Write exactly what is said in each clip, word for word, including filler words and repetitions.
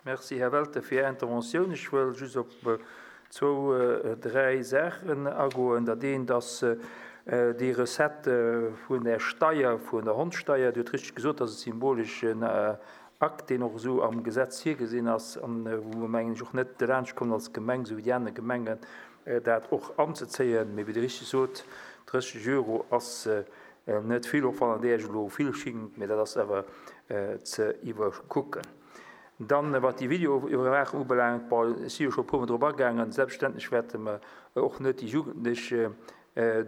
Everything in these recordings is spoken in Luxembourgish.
Merci, Här Welter, fir Är Interventioun. Ech wëll just op zwou, dräi Saachen agoen. Dat eent ass déi Recette vun der Steier, vun der Hondssteier. Dir hutt richteg gesot, dat ass e symboleschen Akt, deen och esou am Gesetz virgesinn ass an wou mer, mengen ech, och net derlaanscht kommen als Gemeng, esou wéi déi aner Gemengen, dat och anzezéien. Mee wéi Der richteg sot, drësseg Euro ass net vill, och wann et Iech elo vill schingt, mee dat ass awer ze iwwerkucken. Dann, wat déi Videoiwwerwaachung ubelaangt, bon, ech si jo scho e puermol drop agaangen, selbstverständlech wäerte mer och net déi Jugendlech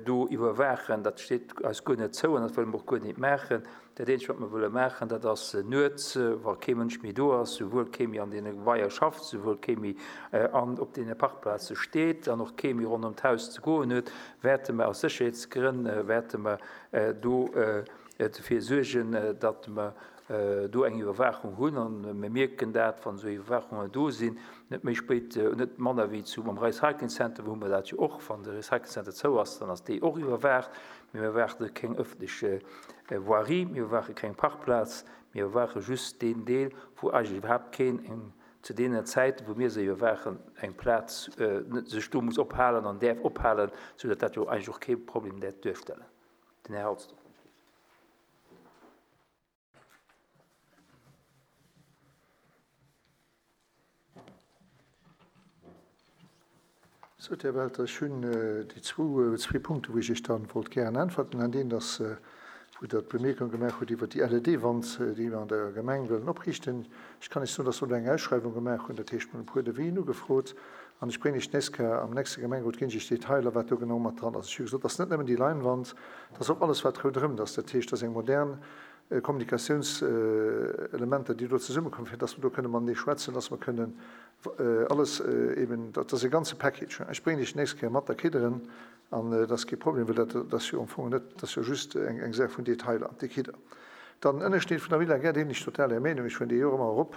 do iwwerwaachen, dat steet eis guer net zou an dat wëlle mer och guer net maachen. Dat Eenzegt, wat mer wëlle maachen, dat ass nuets, wa kee Mënsch méi do ass, souwuel kee méi an deene Gebaier schafft, souwuel kee méi an op deene Parkplaze steet an och kee méi ronderëm d'Haus ze goen huet, wäerte mer aus Sécherheetsgrënn wäerte mer do dofir suergen, datt mer do eng Iwwerwaachung hunn. An mir mierken dat, wann esou Iwwerwaachungen do sinn, net méi spéit, net manner wéi zu am Recycling Center, wou hu mer dat jo och, wann de Recycling Center zou ass, dann ass déi och iwwerwaacht. Mee mir iwwerwaache keng ëffentlech Voirie, mir iwwerwaache keng Parkplaz, mir iwwerwaache just deen Deel, wou eigentlech iwwerhaapt keen eng, zu deenen Zäiten, wou mir se iwwerwaachen, eng Plaz sech do muss ophalen an däerf ophalen, soudatt dat jo eigentlech och kee Problem däerf duerstellen. Den Här Halsdorf. Sot, Här Welter, ech hunn déi zwou, zwee Punkte wou ech Iech dann wollt gären äntwerten. An deen ass, wou Der d'Bemierkung gemaach hutt iwwert déi L E D-Wand, déi mer an der Gemeng wëllen opriichten. Ech kann Iech soen, dass mer do eng Ausschreiwung gemaach hunn, dat heescht, mer hunn e puer Devisen ugefrot. An ech bréngen Iech d'nächst Kéier am nächste Gemengerot ginn ech Iech Detailer, wat do genau mat dran ass. Ech hu gesot, dass net nëmmen déi Leinwand, dass och alles, wat ronderëm ass. Dat heescht, dass eng modern Kommunikatiounselementer, déi do zesummekommen, fir dass mer do kënne matenee schwätzen, dass mer kënnen alles eben, dat ass e ganze Package. Ech bréngen Iech d'nächst Kéier mat, da kritt Der en. An dat ass kee Problem, well dat ass jo am Fong net, dat ass jo just eng eng Saach vun Detailer, déi kritt Der. Dann den Ënnerschnitt vun der Villa Gerd, deen ech total Är Meenung, ech fueren dee jo och ëmmer erop,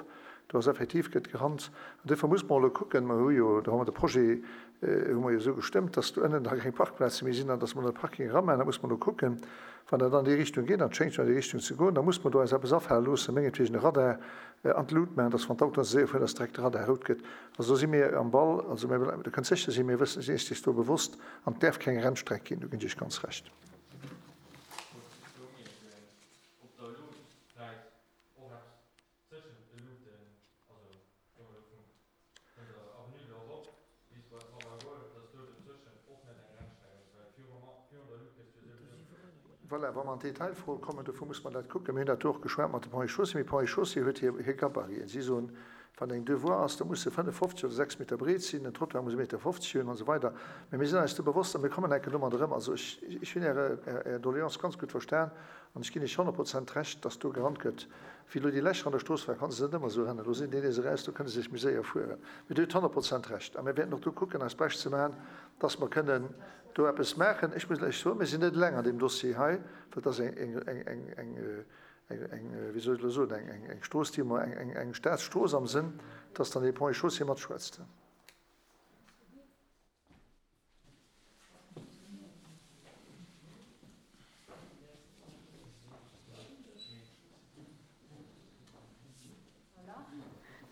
do ass effektiv, gëtt gerannt. An duerfir muss mer elo kucken, mer hu jo, do hu mer de Projet hu mer jo esou gestëmmt, dass do ënnen da keng Parkplaze méi sinn an dass mer de Parking eramaachen. Da muss mer elo kucken, wann dat an déi Richtung geet, an et schéngt jo an déi Richtung ze goen, da muss mer do eis eppes afale loossen, mengetwegen e Radar an d'Lut maachen, dass wann d'Autoen ze séier fueren, dass direkt de Radar rout gëtt. Also do si mir am Ball. Also mir, Der kënnt sécher sinn, mir wëssen, sinn eis do bewosst an et däerf keng Rennstreck ginn, do ginn ech Iech ganz Recht. Voilà, wa mer an d'Detailfroe kommen, dofir muss mer dat kucken. Mir hunn dat do och geschwat mat de Ponts et Chaussées. Mee Ponts et Chaussées huet hir, hir Gabariten. Si soen, wann eng deux voies ass, da muss se fënneffofzeg oder sechs Meter breet sinn, den Trottoir muss e Meter fofzeg hunn an esou weider. Mee mir sinn eis do bewosst a mir kommen enke domat erëm. Also ech, ech hunn Äre, Är Doléance ganz gutt verstan an ech ginn Iech honnert Prozent Recht, dass do gerannt gëtt. Wéi elo déi Lächer an der Strooss waren, konnte se net ëmmer esou rennen. Elo sinn déi nees eraus, do kënne se sech méi séier fueren. Mee Dir hutt honnert Prozent Recht a mir wäerten och do kucken, eist Bescht ze maachen, dass mer kënnen do eppes maachen. Ech muss lech soen, mir sinn net eleng an deem Dossier hei, well et ass eng, eng, eng, eng, eng, eng, wéi soll ech elo soen, eng, eng, eng Strooss, déi mer, eng, eng, eng Staatsstrooss am Sënn, dass dann dee Ponts et Chaussées matschwätzt.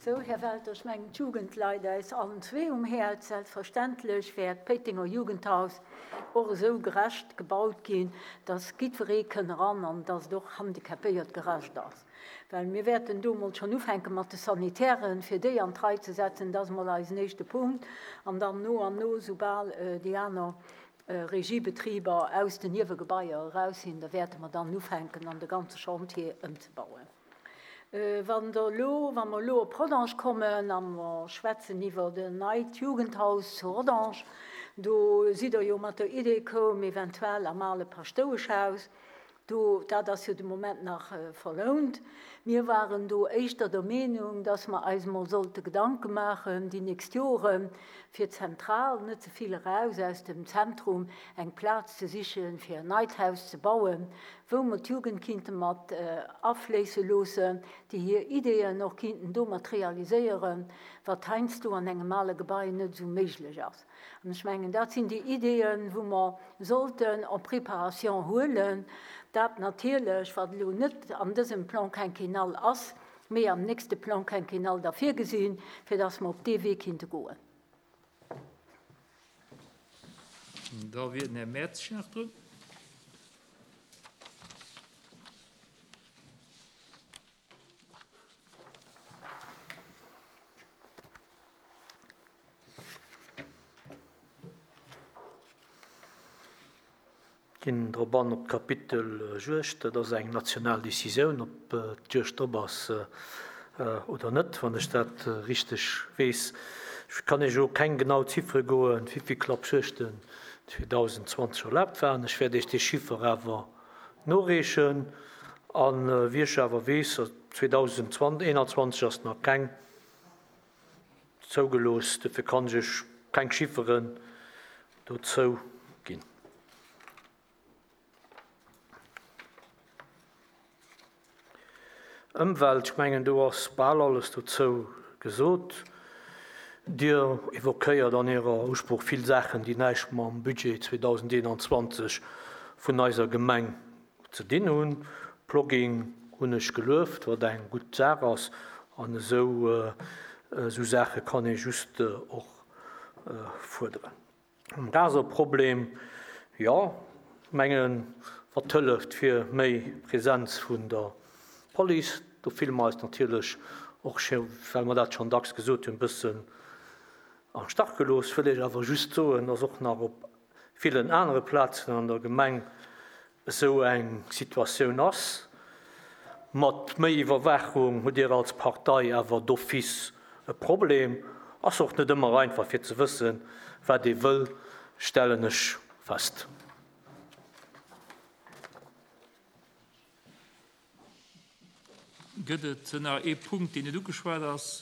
Sou, Här Welter, ech mengen, d'Jugend leit eis allen zwee um Häerz. Selbstverständlech wäert d'Péitenger Jugendhaus och esou gerecht gebaut ginn, dass jiddweree kënn eran an dass et och handicapéiert gerecht ass. Well mir wäerten do emol schonn ufänke mat de Sanitären, fir déi an d'Rei ze setzen. Dat ass emol eisen éischte Punkt. An dann no an no, soubal déi aner Regiebetriber aus den Niewegebaier eraus sinn, da wäerte mer dann ufänken, an de ganze Chantier ëmzebauen. Wann Der elo, wa mer elo op Rodange kommen a mer schwätzen iwwer en neit Jugendhaus zu Rodange, do sidd Der jo mat der Idee koum, eventuell am ale Paschtoueschhaus, do, dat ass jo de Moment nach verlount. Mir waren do éischter der Meenung, dass mer eis emol sollte Gedanke maachen déi nächst Joren, fir zentral, net ze vill eraus aus dem Zentrum, eng Plaz ze sichen, fir en neit Haus ze bauen, wou mer d'Jugend kinnte mat afléisse loossen, déi hir Ideeën och kinnten domat realiséieren, wat heiansdo an engem ale Gebai net esou méiglech ass. An ech mengen, dat sinn déi Ideeën, wou mer sollten en préparation huelen. Dat natierlech, wat elo net an dësem Plan quinquennal ass, mee am nächste Plan quinquennal da virgesinn, fir dass mer op dee Wee kinnte goen. Da wier den Här Mertsch nach drun. Ginn drop an op d'Kapitel Juegd. Dat ass eng national Decisioun, ob d'Juegd op ass oder net, wann ech dat richteg weess. Ech kann Iech elo keng genau Ziffere goen, wéi vill Klappjuegten zweedausendzwanzeg erlaabt waren. Ech wäert Iech dee Chiffer awer noreechen. A wéi ech awer weess, zweedausendeenanzwanzeg ass nach keng zougelooss. Dofir kann ech Iech keng Chifferen dozou ginn. Ëmwelt, ech mengen, do ass bal alles dozou gesot. Dir evoquéiert an Ärer Usprooch vill Saachen, déi näischt mam Budget zweedausendeenanzwanzeg vun eiser Gemeng ze dinn hunn. Plogging hunn ech gelueft, wat eng gutt Saach ass. An esou, esou Saache kann ee just och fuerderen. Um Raserproblem, jo, ech mengen, wat hëlleft fir méi Präsenz vun der Police, do fille mer eis natierlech och, well mer dat schonn dacks gesot hunn, e bëssen am Stach gelooss. Wëll ech awer just soen, dass och nach op villen anere Plazen an der Gemeng esou eng Situatioun ass. Mat méi Iwwerwaachung hutt Dir als Partei awer d'office e Problem. Ass och net ëmmer einfach fir ze wëssen, wat ee wëll, stellen ech fest. Gëtt et nach ee Punkt, deen net ugeschwat ass?